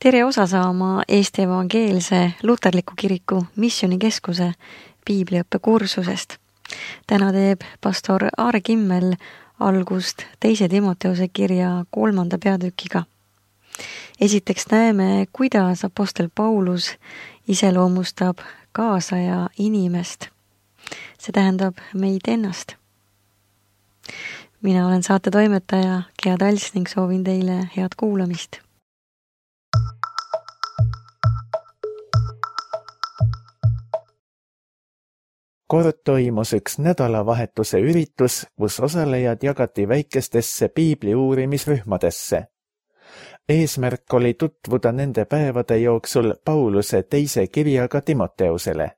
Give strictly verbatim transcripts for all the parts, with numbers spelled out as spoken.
Tere osa saama Eesti Evangeelse Luterliku Kiriku Missioonikeskuse piibliõppe kursusest. Täna teeb pastor Aare Kimmel algust teise Timoteuse kirja kolmanda peatükiga. Esiteks näeme, kuidas apostel Paulus iseloomustab kaasaja inimest. See tähendab meid ennast. Mina olen saate toimetaja Gea Tals ning soovin teile head kuulamist. Kord toimus üks nädalavahetuse üritus, kus osalejad jagati väikestesse piibli uurimisrühmadesse. Eesmärk oli tutvuda nende päevade jooksul Pauluse teise kirjaga Timoteusele.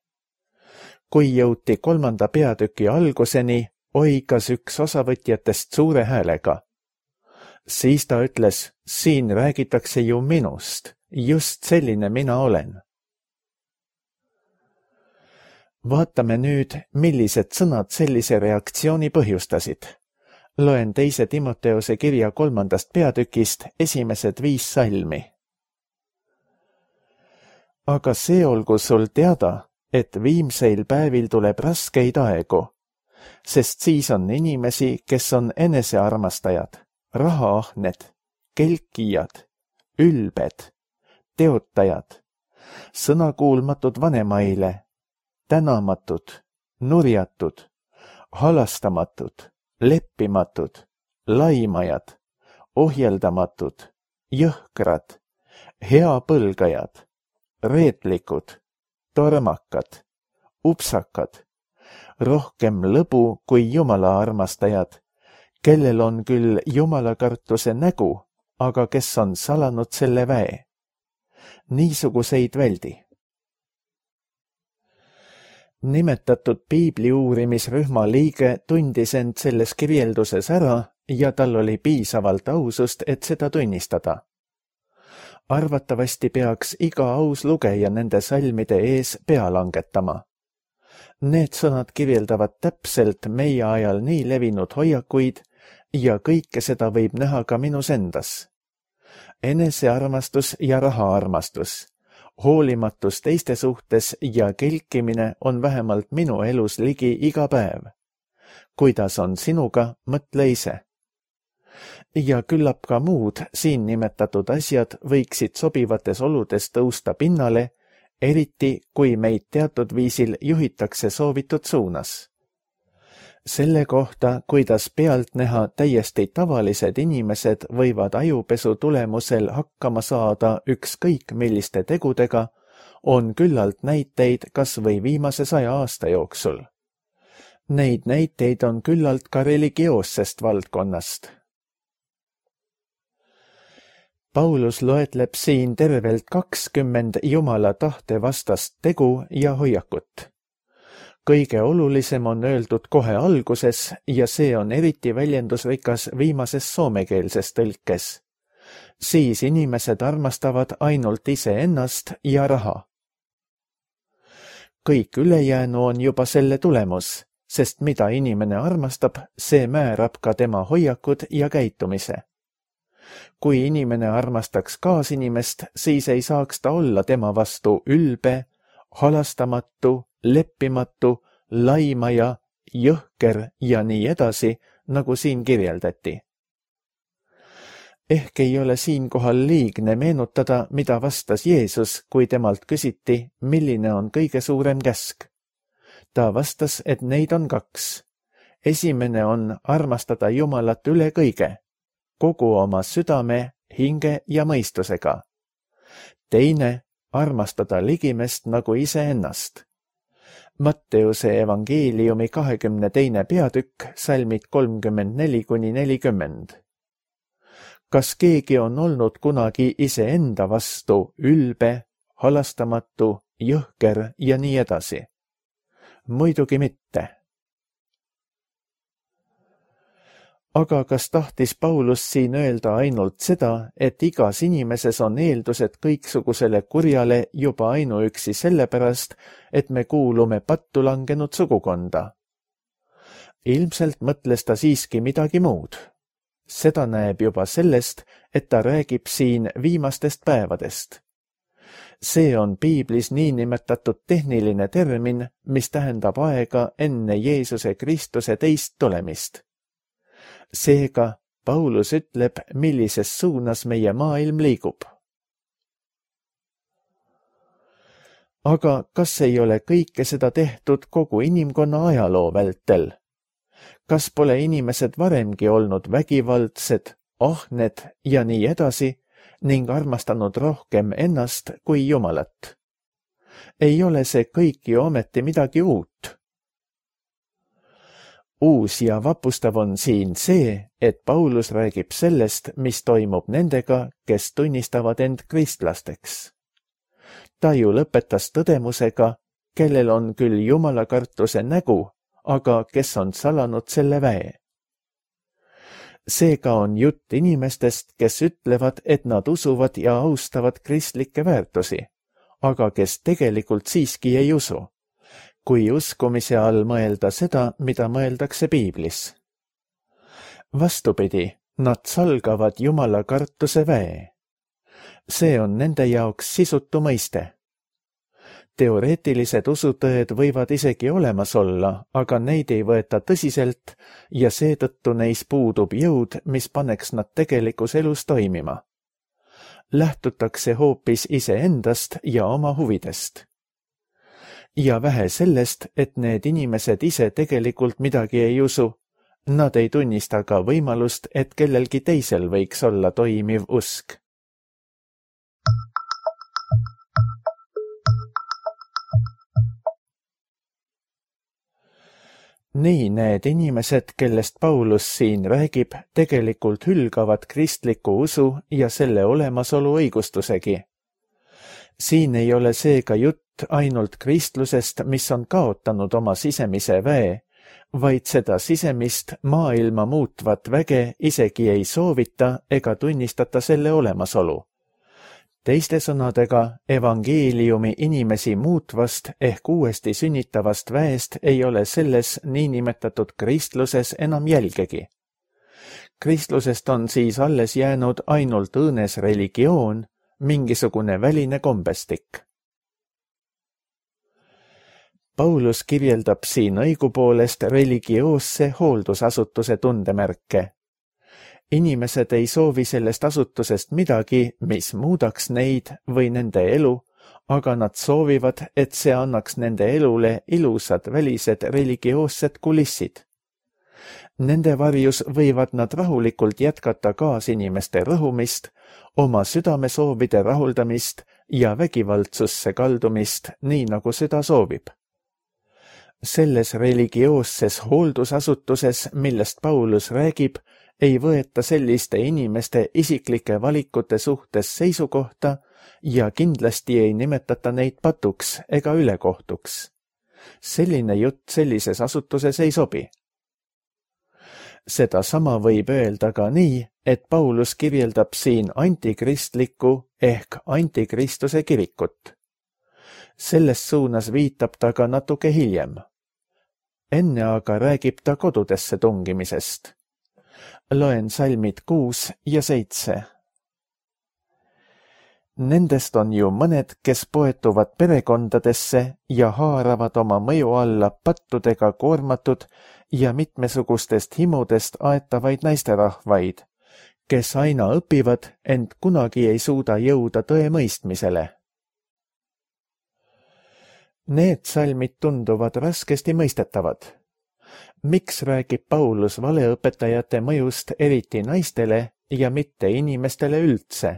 Kui jõuti kolmanda peatüki alguseni, oigas üks osavõtjatest suure häälega. Siis ta ütles, siin räägitakse ju minust, just selline mina olen. Vaatame nüüd, millised sõnad sellise reaktsiooni põhjustasid. Loen teise Timoteuse kirja kolmandast peatükist esimesed viis salmi. Aga see olgu sul teada, et viimseil päevil tuleb raskeid aegu, sest siis on inimesi, kes on enesearmastajad, rahaahned, kelkijad, ülbed, teotajad, sõnakuulmatud vanemaile, tänamatud, nurjatud, halastamatud, leppimatud, laimajad, ohjeldamatud, jõhkrad, heapõlgajad, reetlikud, tormakad, upsakad, rohkem lõbu kui Jumala armastajad, kellel on küll jumalakartuse nägu, aga kes on salanud selle väe. Niisuguseid väldi. Nimetatud piibli uurimisrühma liige tundis end selles kirjelduses ära ja tal oli piisavalt ausust, et seda tunnistada. Arvatavasti peaks iga aus lugeja nende salmide ees pea langetama. Need sõnad kirjeldavad täpselt meie ajal nii levinud hoiakuid ja kõike seda võib näha ka minus endas. Enesearmastus ja rahaarmastus. Hoolimatus teiste suhtes ja kelkimine on vähemalt minu elus ligi iga päev. Kuidas on sinuga, mõtle ise. Ja küllap ka muud siin nimetatud asjad võiksid sobivates oludes tõusta pinnale, eriti kui meid teatud viisil juhitakse soovitud suunas. Selle kohta, kuidas pealt näha täiesti tavalised inimesed võivad ajupesu tulemusel hakkama saada ükskõik milliste tegudega, on küllalt näiteid kas või viimase saja aasta jooksul. Neid näiteid on küllalt ka religioossest valdkonnast. Paulus loetleb siin tervelt kakskümmend Jumala tahte vastast tegu ja hoiakut. Kõige olulisem on öeldud kohe alguses ja see on eriti väljendusrikas viimases soomekeelses tõlkes. Siis inimesed armastavad ainult iseennast ja raha. Kõik ülejäänu on juba selle tulemus, sest mida inimene armastab, see määrab ka tema hoiakud ja käitumise. Kui inimene armastaks kaasinimest, siis ei saaks ta olla tema vastu ülbe, halastamatu, leppimatu, laimaja, jõhker ja nii edasi, nagu siin kirjeldati. Ehk ei ole siinkohal liigne meenutada, mida vastas Jeesus, kui temalt küsiti, milline on kõige suurem käsk. Ta vastas, et neid on kaks. Esimene on armastada Jumalat üle kõige, kogu oma südame, hinge ja mõistusega. Teine, armastada ligimest nagu iseennast. Matteuse evangeeliumi kahekümne teine peatükk, salmid kolmkümmend neli kuni nelikümmend. Kas keegi on olnud kunagi iseenda vastu ülbe, halastamatu, jõhker ja nii edasi? Muidugi mitte. Aga kas tahtis Paulus siin öelda ainult seda, et igas inimeses on eeldused kõiksugusele kurjale juba ainuüksi sellepärast, et me kuulume pattu langenud sugukonda? Ilmselt mõtles ta siiski midagi muud. seda näeb juba sellest, et ta räägib siin viimastest päevadest. See on piiblis niinimetatud tehniline termin, mis tähendab aega enne Jeesuse Kristuse teist tulemist. Seega Paulus ütleb, millises suunas meie maailm liigub. Aga kas ei ole kõike seda tehtud kogu inimkonna ajaloo vältel? Kas pole inimesed varemgi olnud vägivaldsed, ahned ja nii edasi ning armastanud rohkem ennast kui Jumalat? Ei ole see kõik ju ometi midagi uut. Uus ja vapustav on siin see, et Paulus räägib sellest, mis toimub nendega, kes tunnistavad end kristlasteks. Ta ju lõpetas tõdemusega, kellel on küll jumalakartuse nägu, aga kes on salanud selle väe. Seega on jutt inimestest, kes ütlevad, et nad usuvad ja austavad kristlikke väärtusi, aga kes tegelikult siiski ei usu, kui uskumise all mõelda seda, mida mõeldakse piiblis. Vastupidi, nad salgavad jumalakartuse väe. See on nende jaoks sisutu mõiste. Teoreetilised usutõed võivad isegi olemas olla, aga neid ei võeta tõsiselt ja seetõttu neis puudub jõud, mis paneks nad tegelikus elus toimima. Lähtutakse hoopis iseendast ja oma huvidest. Ja vähe sellest, et need inimesed ise tegelikult midagi ei usu, nad ei tunnista ka võimalust, et kellelgi teisel võiks olla toimiv usk. Nii need inimesed, kellest Paulus siin räägib, tegelikult hülgavad kristliku usu ja selle olemasolu õigustusegi. Siin ei ole seega jutt ainult kristlusest, mis on kaotanud oma sisemise väe, vaid seda sisemist maailma muutvat väge isegi ei soovita ega tunnistata selle olemasolu. Teiste sõnadega, evangeeliumi inimesi muutvast ehk uuesti sünnitavast väest ei ole selles niinimetatud kristluses enam jälgegi. Kristlusest on siis alles jäänud ainult õõnes religioon, mingisugune väline kombestik. Paulus kirjeldab siin õigupoolest religioosse hooldusasutuse tundemärke. Inimesed ei soovi sellest asutusest midagi, mis muudaks neid või nende elu, aga nad soovivad, et see annaks nende elule ilusad välised religioossed kulissid. Nende varjus võivad nad rahulikult jätkata kaasinimeste rõhumist, oma südamesoovide rahuldamist ja vägivaldsusse kaldumist, nii nagu süda soovib. Selles religioosses hooldusasutuses, millest Paulus räägib, ei võeta selliste inimeste isiklike valikute suhtes seisukohta ja kindlasti ei nimetata neid patuks ega ülekohtuks. Selline jutt sellises asutuses ei sobi. Seda sama võib öelda ka nii, et Paulus kirjeldab siin antikristlikku ehk antikristuse kirikut. Selles suunas viitab ta ka natuke hiljem. Enne aga räägib ta kodudesse tungimisest. Loen salmid kuus ja seitse. Nendest on ju mõned, kes poetuvad perekondadesse ja haaravad oma mõju alla pattudega koormatud ja mitmesugustest himudest aetavaid naisterahvaid, kes aina õpivad, ent kunagi ei suuda jõuda tõe mõistmisele. Need salmid tunduvad raskesti mõistetavad. Miks räägib Paulus valeõpetajate mõjust eriti naistele ja mitte inimestele üldse?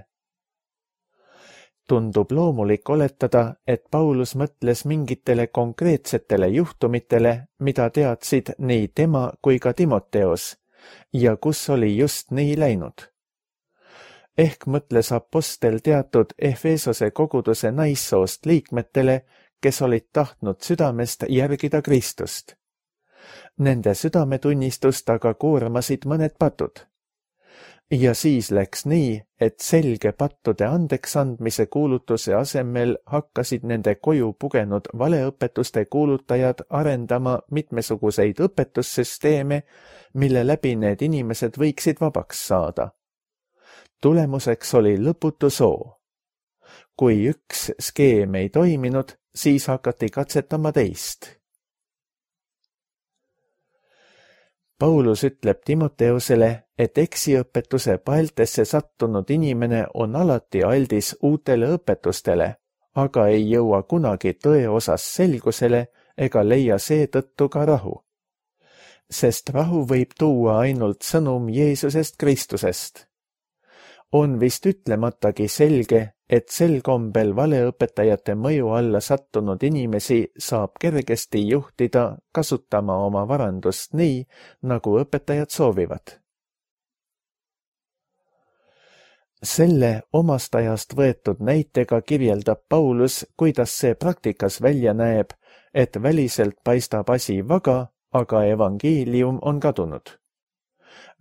Tundub loomulik oletada, et Paulus mõtles mingitele konkreetsetele juhtumitele, mida teadsid nii tema kui ka Timoteos, ja kus oli just nii läinud. Ehk mõtles apostel teatud Efesose koguduse naissoost liikmetele, kes olid tahtnud südamest järgida Kristust. Nende südametunnistust aga koormasid mõned patud. ja siis läks nii, et selge pattude andeksandmise kuulutuse asemel hakkasid nende koju pugenud valeõpetuste kuulutajad arendama mitmesuguseid õpetussüsteeme, mille läbi need inimesed võiksid vabaks saada. Tulemuseks oli lõputu soo. Kui üks skeem ei toiminud, siis hakati katsetama teist. Paulus ütleb Timoteusele, et eksiõpetuse paeltesse sattunud inimene on alati aldis uutele õpetustele, aga ei jõua kunagi tõe osas selgusele ega leia seetõttu ka rahu. Sest rahu võib tuua ainult sõnum Jeesusest Kristusest. On vist ütlematagi selge, et sel kombel valeõpetajate mõju alla sattunud inimesi saab kergesti juhtida kasutama oma varandust nii, nagu õpetajad soovivad. Selle omast ajast võetud näitega kirjeldab Paulus, kuidas see praktikas välja näeb, et väliselt paistab asi vaga, aga evangeelium on kadunud.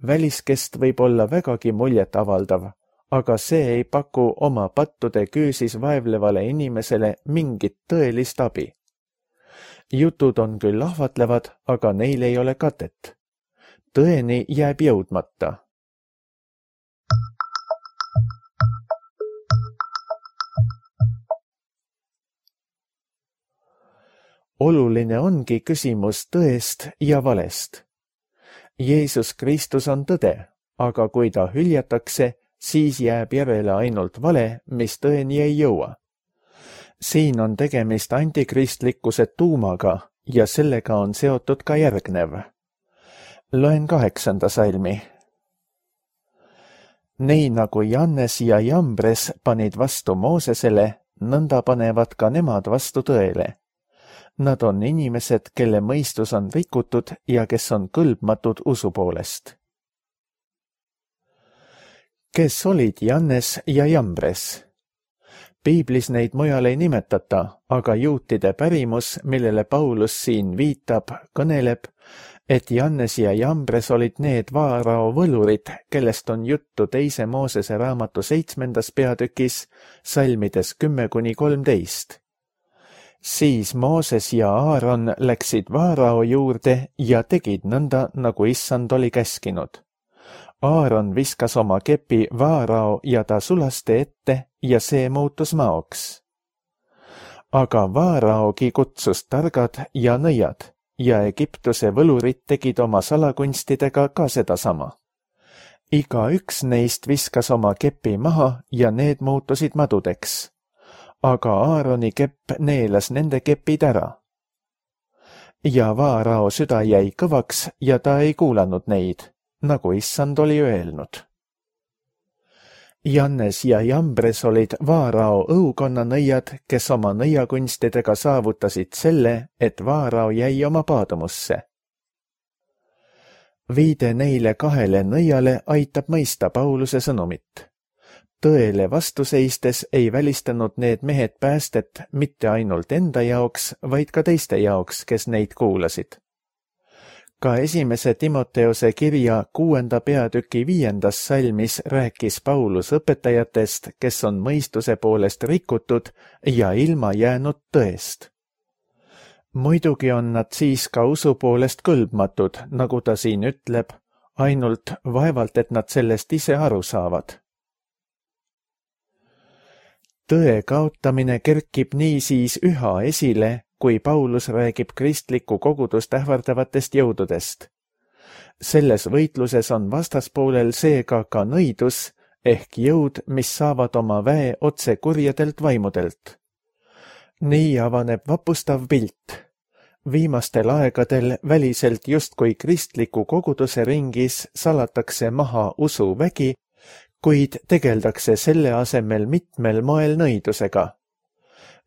Väliskest võib olla vägagi muljet avaldav, aga see ei paku oma pattude küüsis vaevlevale inimesele mingit tõelist abi. Jutud on küll ahvatlevad, aga neil ei ole katet. Tõeni jääb jõudmata. Oluline ongi küsimus tõest ja valest. Jeesus Kristus on tõde, aga kui ta hüljatakse, siis jääb järele ainult vale, mis tõeni ei jõua. Siin on tegemist antikristlikkuse tuumaga ja sellega on seotud ka järgnev. Loen kaheksanda salmi. Nii nagu Jannes ja Jambres panid vastu Moosesele, nõnda panevad ka nemad vastu tõele. Nad on inimesed, kelle mõistus on rikutud ja kes on kõlbmatud usu poolest. Kes olid Jannes ja Jambres? Piiblis neid mujal ei nimetata, aga juutide pärimus, millele Paulus siin viitab, kõneleb, et Jannes ja Jambres olid need Vaarao võlurid, kellest on juttu teise Moosese raamatu seitsmendas peatükis, salmides kümme kuni kolmteist. Siis Mooses ja Aaron läksid Vaarao juurde ja tegid nõnda, nagu issand oli käskinud. Aaron viskas oma kepi Vaarao ja ta sulaste ette ja see muutus maoks. Aga Vaaraogi kutsus targad ja nõiad ja Egiptuse võlurid tegid oma salakunstidega ka sedasama. Iga üks neist viskas oma kepi maha ja need muutusid madudeks. Aga Aaroni kepp neelas nende kepid ära. Ja Vaarao süda jäi kõvaks ja ta ei kuulanud neid, nagu issand oli öelnud. Jannes ja Jambres olid Vaarao õukonna nõiad, kes oma nõiakunstidega saavutasid selle, et Vaarao jäi oma paadumusse. Viide neile kahele nõiale aitab mõista Pauluse sõnumit. Tõele vastuseistes ei välistanud need mehed päästet mitte ainult enda jaoks, vaid ka teiste jaoks, kes neid kuulasid. Ka esimese Timoteuse kirja kuuenda peatüki viiendas salmis rääkis Paulus õpetajatest, kes on mõistuse poolest rikutud ja ilma jäänud tõest. Muidugi on nad siis ka usu poolest kõlbmatud, nagu ta siin ütleb, ainult vaevalt, et nad sellest ise aru saavad. Tõe kaotamine kerkib niisiis üha esile, kui Paulus räägib kristlikku kogudust ähvardavatest jõududest. Selles võitluses on vastaspoolel seega ka nõidus ehk jõud, mis saavad oma väe otse kurjadelt vaimudelt. Nii avaneb vapustav pilt. Viimastel aegadel väliselt justkui kristliku koguduse ringis salatakse maha usuvägi, kuid tegeldakse selle asemel mitmel moel nõidusega.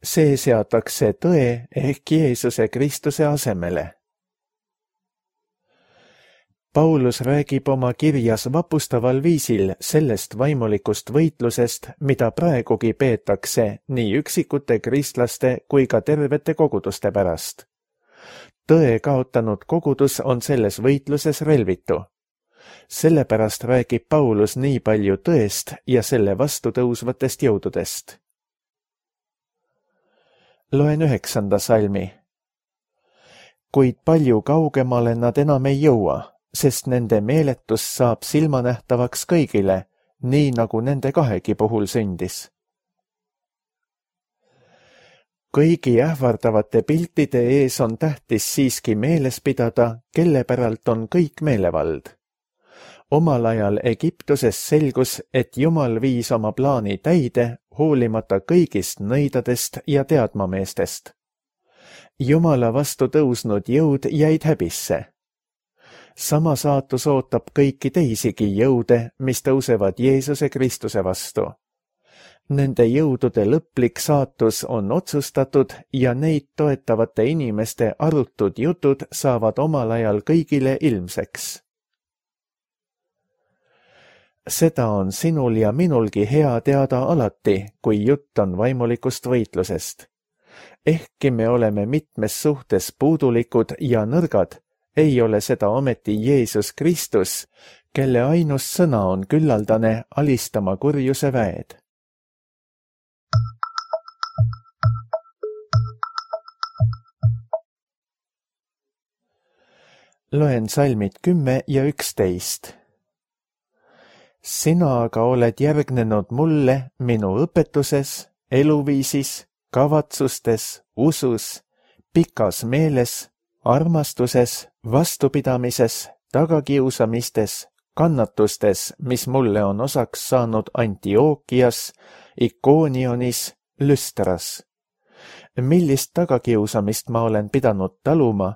See seatakse tõe ehk Jeesuse Kristuse asemele. Paulus räägib oma kirjas vapustaval viisil sellest vaimulikust võitlusest, mida praegugi peetakse nii üksikute kristlaste kui ka tervete koguduste pärast. Tõe kaotanud kogudus on selles võitluses relvitu. Sellepärast räägib Paulus nii palju tõest ja selle vastu tõusvatest jõududest. Loen üheksanda salmi. Kuid palju kaugemale nad enam ei jõua, sest nende meeletus saab silmanähtavaks kõigile, nii nagu nende kahegi puhul sündis. Kõigi ähvardavate piltide ees on tähtis siiski meeles pidada, kelle päralt on kõik meelevald. Omal ajal Egiptuses selgus, et Jumal viis oma plaani täide, hoolimata kõigist nõidadest ja teadmameestest. Jumala vastu tõusnud jõud jäid häbisse. Sama saatus ootab kõiki teisigi jõude, mis tõusevad Jeesuse Kristuse vastu. Nende jõudude lõplik saatus on otsustatud ja neid toetavate inimeste arutud jutud saavad omal ajal kõigile ilmseks. Seda on sinul ja minulgi hea teada alati, kui jutt on vaimulikust võitlusest. Ehkki me oleme mitmes suhtes puudulikud ja nõrgad, ei ole seda ometi Jeesus Kristus, kelle ainus sõna on küllaldane alistama kurjuse väed. Loen salmid kümme ja üksteist. Sina aga oled järgnenud mulle minu õpetuses, eluviisis, kavatsustes, usus, pikas meeles, armastuses, vastupidamises, tagakiusamistes, kannatustes, mis mulle on osaks saanud Antiookias, Ikonionis, Lüstras. Millist tagakiusamist ma olen pidanud taluma,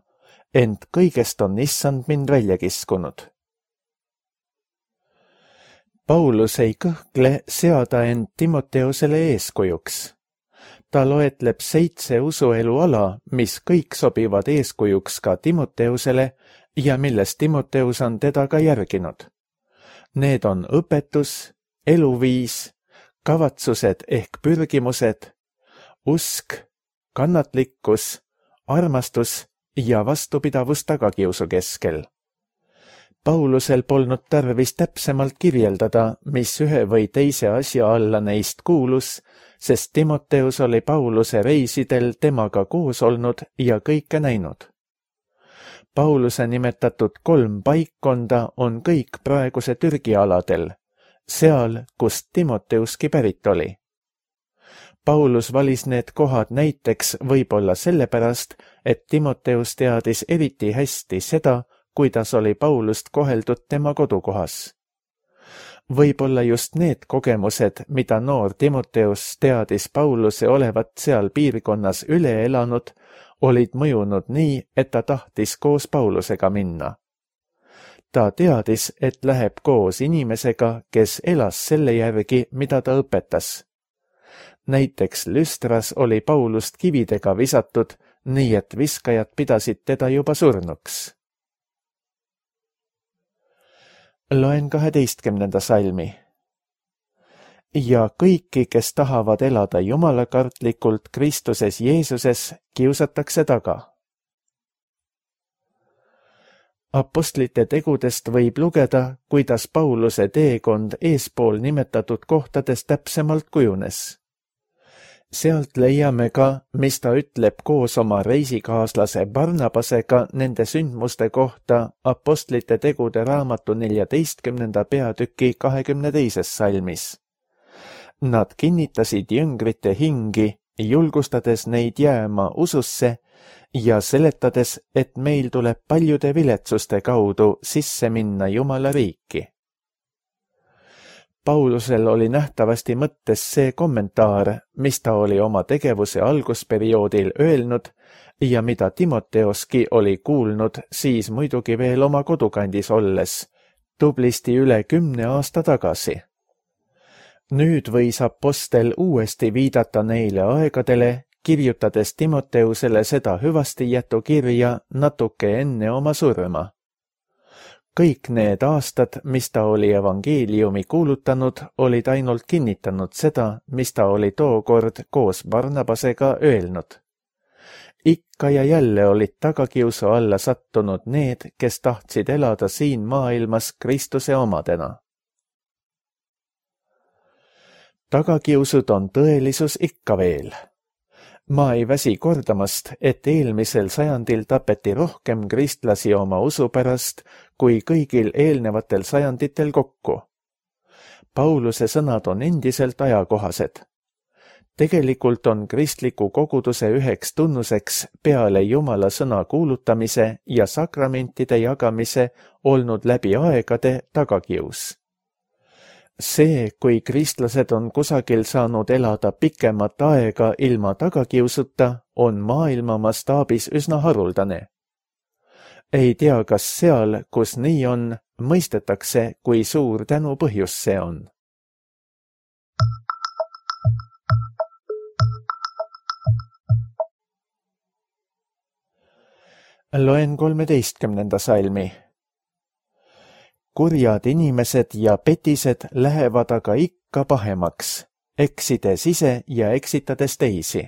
ent kõigest on issand mind välja kiskunud. Paulus ei kõhkle seada end Timoteusele eeskujuks. Ta loetleb seitse usuelu ala, mis kõik sobivad eeskujuks ka Timoteusele ja milles Timoteus on teda ka järginud. Need on õpetus, eluviis, kavatsused ehk pürgimused, usk, kannatlikkus, armastus ja vastupidavus tagakiusu keskel. Paulusel polnud tarvis täpsemalt kirjeldada, mis ühe või teise asja alla neist kuulus, sest Timoteus oli Pauluse reisidel temaga koos olnud ja kõike näinud. Pauluse nimetatud kolm paikkonda on kõik praeguse Türgi aladel, seal, kust Timoteuski pärit oli. Paulus valis need kohad näiteks võib-olla sellepärast, et Timoteus teadis eriti hästi seda, kuidas oli Paulust koheldud tema kodukohas. Võib-olla just need kogemused, mida noor Timoteus teadis Pauluse olevat seal piirkonnas üle elanud, olid mõjunud nii, et ta tahtis koos Paulusega minna. Ta teadis, et läheb koos inimesega, kes elas selle järgi, mida ta õpetas. Näiteks Lüstras oli Paulust kividega visatud, nii et viskajad pidasid teda juba surnuks. Loen kaheteistkümnenda salmi. Ja kõiki, kes tahavad elada jumalakartlikult Kristuses Jeesuses, kiusatakse taga. Apostlite tegudest võib lugeda, kuidas Pauluse teekond eespool nimetatud kohtades täpsemalt kujunes. Sealt leiame ka, mis ta ütleb koos oma reisikaaslase Barnabasega nende sündmuste kohta Apostlite tegude raamatu neljateistkümnenda peatüki kahekümne teises salmis. Nad kinnitasid jüngrite hingi, julgustades neid jääma ususse ja seletades, et meil tuleb paljude viletsuste kaudu sisse minna Jumala riiki. Paulusel oli nähtavasti mõttes see kommentaar, mis ta oli oma tegevuse algusperioodil öelnud ja mida Timoteoski oli kuulnud siis muidugi veel oma kodukandis olles, tublisti üle kümne aasta tagasi. Nüüd võis apostel uuesti viidata neile aegadele, kirjutades Timoteusele seda hüvastijätu kirja natuke enne oma surma. Kõik need aastad, mis ta oli evangeeliumi kuulutanud, olid ainult kinnitanud seda, mis ta oli tookord koos Barnabasega öelnud. ikka ja jälle olid tagakiusu alla sattunud need, kes tahtsid elada siin maailmas Kristuse omadena. Tagakiusud on tõelisus ikka veel. Ma ei väsi kordamast, et eelmisel sajandil tapeti rohkem kristlasi oma usu pärast kui kõigil eelnevatel sajanditel kokku. Pauluse sõnad on endiselt ajakohased. Tegelikult on kristliku koguduse üheks tunnuseks peale Jumala sõna kuulutamise ja sakramentide jagamise olnud läbi aegade tagakius. See, kui kristlased on kusagil saanud elada pikemat aega ilma tagakiusuta, on maailma mastaabis üsna haruldane. Ei tea, kas seal, kus nii on, mõistetakse, kui suur tänu põhjus see on. Loen kolmeteistkümnenda salmi. Kurjad inimesed ja petised lähevad aga ikka pahemaks, eksides ise ja eksitades teisi.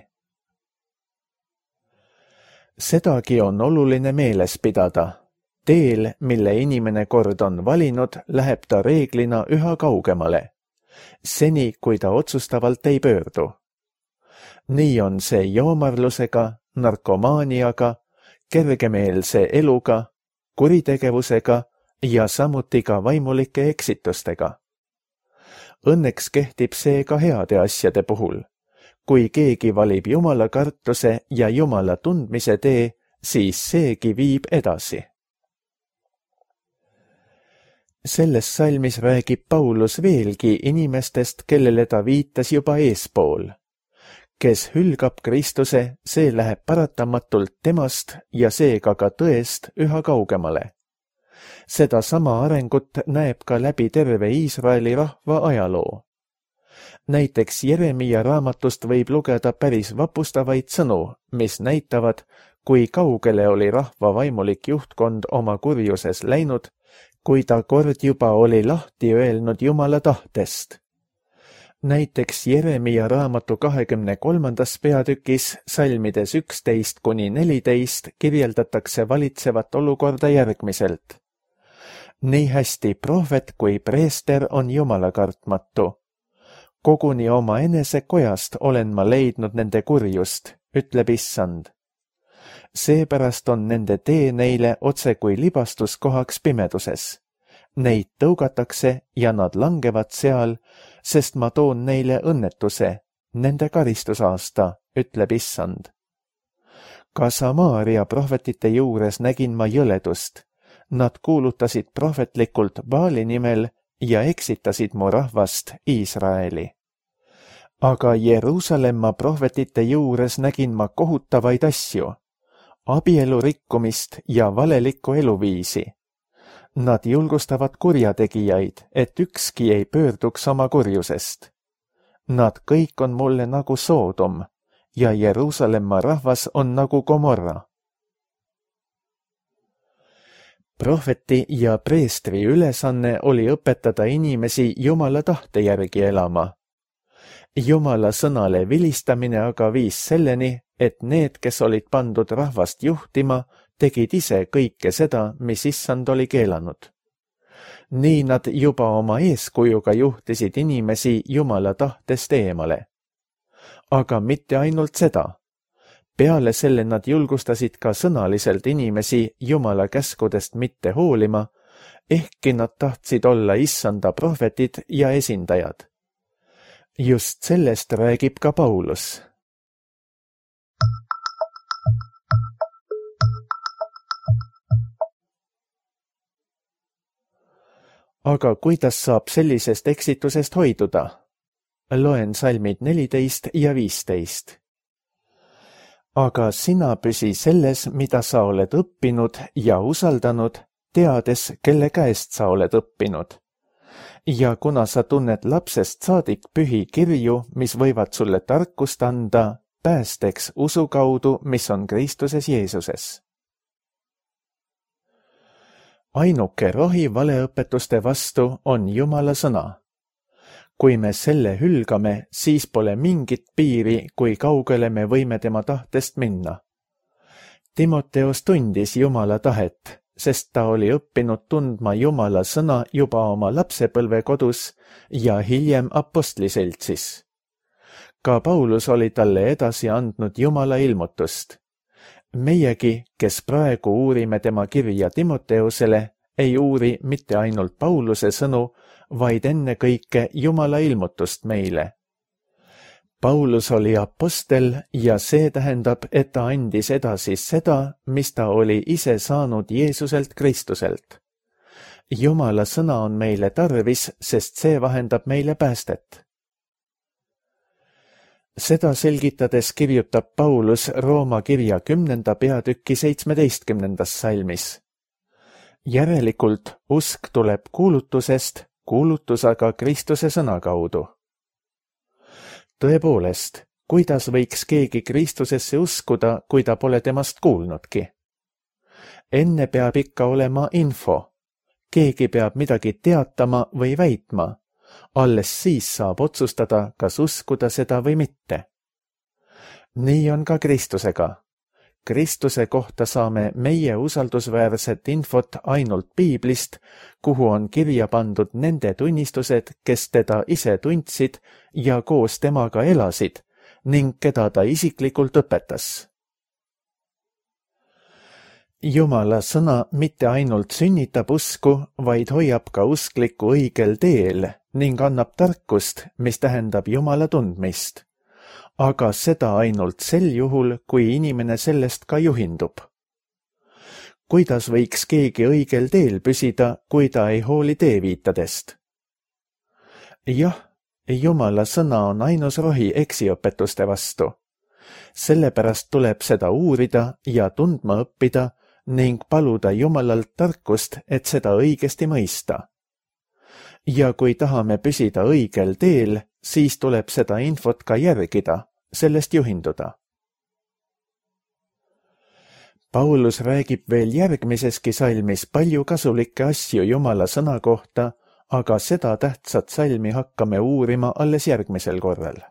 Sedagi on oluline meeles pidada. Teel, mille inimene kord on valinud, läheb ta reeglina üha kaugemale, seni kui ta otsustavalt ei pöördu. Nii on see joomarlusega, narkomaaniaga, kergemeelse eluga, kuritegevusega ja samuti ka vaimulike eksitustega. Õnneks kehtib see ka heade asjade puhul. Kui keegi valib Jumala kartuse ja Jumala tundmise tee, siis seegi viib edasi. Selles salmis räägib Paulus veelgi inimestest, kellele ta viitas juba eespool. Kes hülgab Kristuse, see läheb paratamatult temast ja seega ka tõest üha kaugemale. Seda sama arengut näeb ka läbi terve Iisraeli rahva ajaloo. Näiteks Jeremia raamatust võib lugeda päris vapustavaid sõnu, mis näitavad, kui kaugele oli rahva vaimulik juhtkond oma kurjuses läinud, kui ta kord juba oli lahti öelnud Jumala tahtest. Näiteks Jeremia raamatu kahekümne kolmandas peatükis salmides üksteist kuni neliteist kirjeldatakse valitsevat olukorda järgmiselt. Nii hästi prohvet kui preester on Jumala kartmatu. Koguni oma enese kojast olen ma leidnud nende kurjust, ütleb Issand. Seepärast on nende tee neile otse kui libastuskohaks pimeduses. Neid tõugatakse ja nad langevad seal, sest ma toon neile õnnetuse, nende karistusaasta, ütleb Issand. Ka Samaaria prohvetite juures nägin ma jõledust. Nad kuulutasid prohvetlikult Baali nimel ja eksitasid mu rahvast Iisraeli. Aga Jeruusalemma prohvetite juures nägin ma kohutavaid asju, abielu rikkumist ja valelikku eluviisi. Nad julgustavad kurjategijaid, et ükski ei pöörduks oma kurjusest. Nad kõik on mulle nagu Soodom ja Jeruusalemma rahvas on nagu Gomorra. Prohveti ja preestri ülesanne oli õpetada inimesi Jumala tahte järgi elama. Jumala sõnale vilistamine aga viis selleni, et need, kes olid pandud rahvast juhtima, tegid ise kõike seda, mis Issand oli keelanud. Nii nad juba oma eeskujuga juhtisid inimesi Jumala tahtest eemale. Aga mitte ainult seda. Peale selle nad julgustasid ka sõnaliselt inimesi Jumala käskudest mitte hoolima, ehkki nad tahtsid olla Issanda prohvetid ja esindajad. Just sellest räägib ka Paulus. Aga kuidas saab sellisest eksitusest hoiduda? Loen salmid neliteist ja viisteist. Aga sina püsi selles, mida sa oled õppinud ja usaldanud, teades, kelle käest sa oled õppinud. Ja kuna sa tunned lapsest saadik pühi kirju, mis võivad sulle tarkust anda, päästeks usu kaudu, mis on Kristuses Jeesuses. Ainuke rohi valeõpetuste vastu on Jumala sõna. Kui me selle hülgame, siis pole mingit piiri, kui kaugele me võime tema tahtest minna. Timoteos tundis Jumala tahet, sest ta oli õppinud tundma Jumala sõna juba oma lapsepõlve kodus ja hiljem apostliseltsis. Ka Paulus oli talle edasi andnud Jumala ilmutust. Meiegi, kes praegu uurime tema kirja Timoteusele, ei uuri mitte ainult Pauluse sõnu, vaid enne kõike Jumala ilmutust meile. Paulus oli apostel ja see tähendab, et ta andis edasi seda, mis ta oli ise saanud Jeesuselt Kristuselt. Jumala sõna on meile tarvis, sest see vahendab meile päästet. Seda selgitades kirjutab Paulus Rooma kirja kümnenda peatüki seitsmeteistkümnendas salmis. Järelikult usk tuleb kuulutusest, kuulutus aga Kristuse sõna kaudu. Tõepoolest, kuidas võiks keegi Kristusesse uskuda, kui ta pole temast kuulnudki? Enne peab ikka olema info. Keegi peab midagi teatama või väitma. Alles siis saab otsustada, kas uskuda seda või mitte. Nii on ka Kristusega. Kristuse kohta saame meie usaldusväärset infot ainult Piiblist, kuhu on kirja pandud nende tunnistused, kes teda ise tundsid ja koos temaga elasid ning keda ta isiklikult õpetas. Jumala sõna mitte ainult sünnitab usku, vaid hoiab ka usklikku õigel teel ning annab tarkust, mis tähendab Jumala tundmist. Aga seda ainult sel juhul, kui inimene sellest ka juhindub. Kuidas võiks keegi õigel teel püsida, kui ta ei hooli teeviitadest? Jah, Jumala sõna on ainus rohi eksiõpetuste vastu. Sellepärast tuleb seda uurida ja tundma õppida ning paluda Jumalalt tarkust, et seda õigesti mõista. Ja kui tahame püsida õigel teel, siis tuleb seda infot ka järgida, sellest juhinduda. Paulus räägib veel järgmiseski salmis palju kasulikke asju Jumala sõna kohta, aga seda tähtsat salmi hakkame uurima alles järgmisel korral.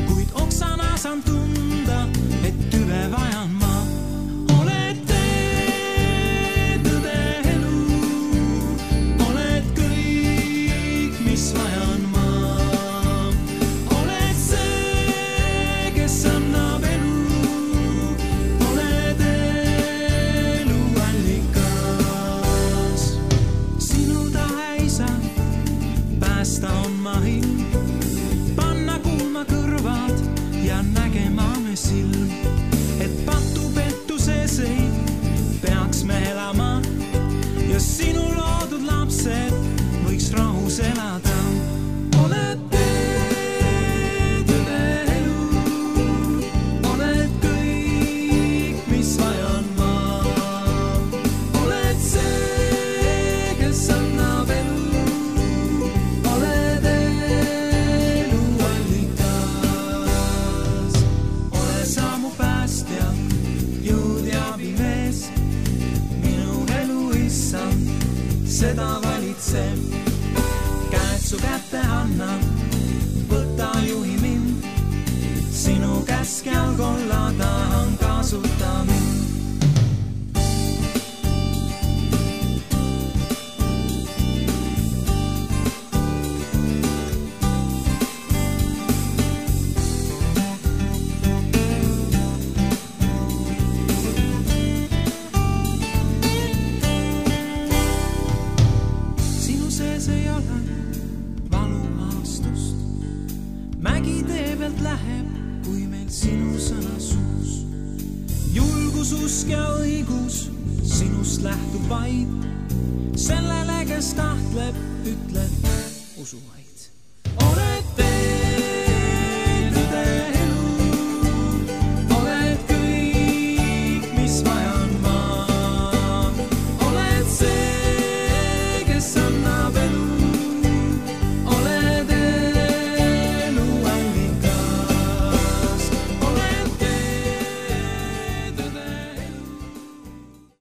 Kuid oksana saan tunda, et tüve vajan ma. Oled tee, tõde elu, oled kõik, mis vajan ma. Oled see, kes annab elu, oled elu allikas. Sinu tahe isa, päästa on ma hind. Ja nägema me silm, et patu pettuses ei peaks me elama ja sinu loodud lapsed võiks rahus elada. Oled tee, tõde elu, oled kõik, mis vajan ma. Oled see, kes annab elu, oled elu allikas. Seda valitseb, käed su kätte annan, võta juhi mind, sinu käskjal kolla tahan kasuta mind. Mägi tee pealt läheb, kui meil sinu sõna suus. Julgus, usk ja õigus sinust lähtub vaid. Sellele, kes tahtleb, ütleb usu vaid.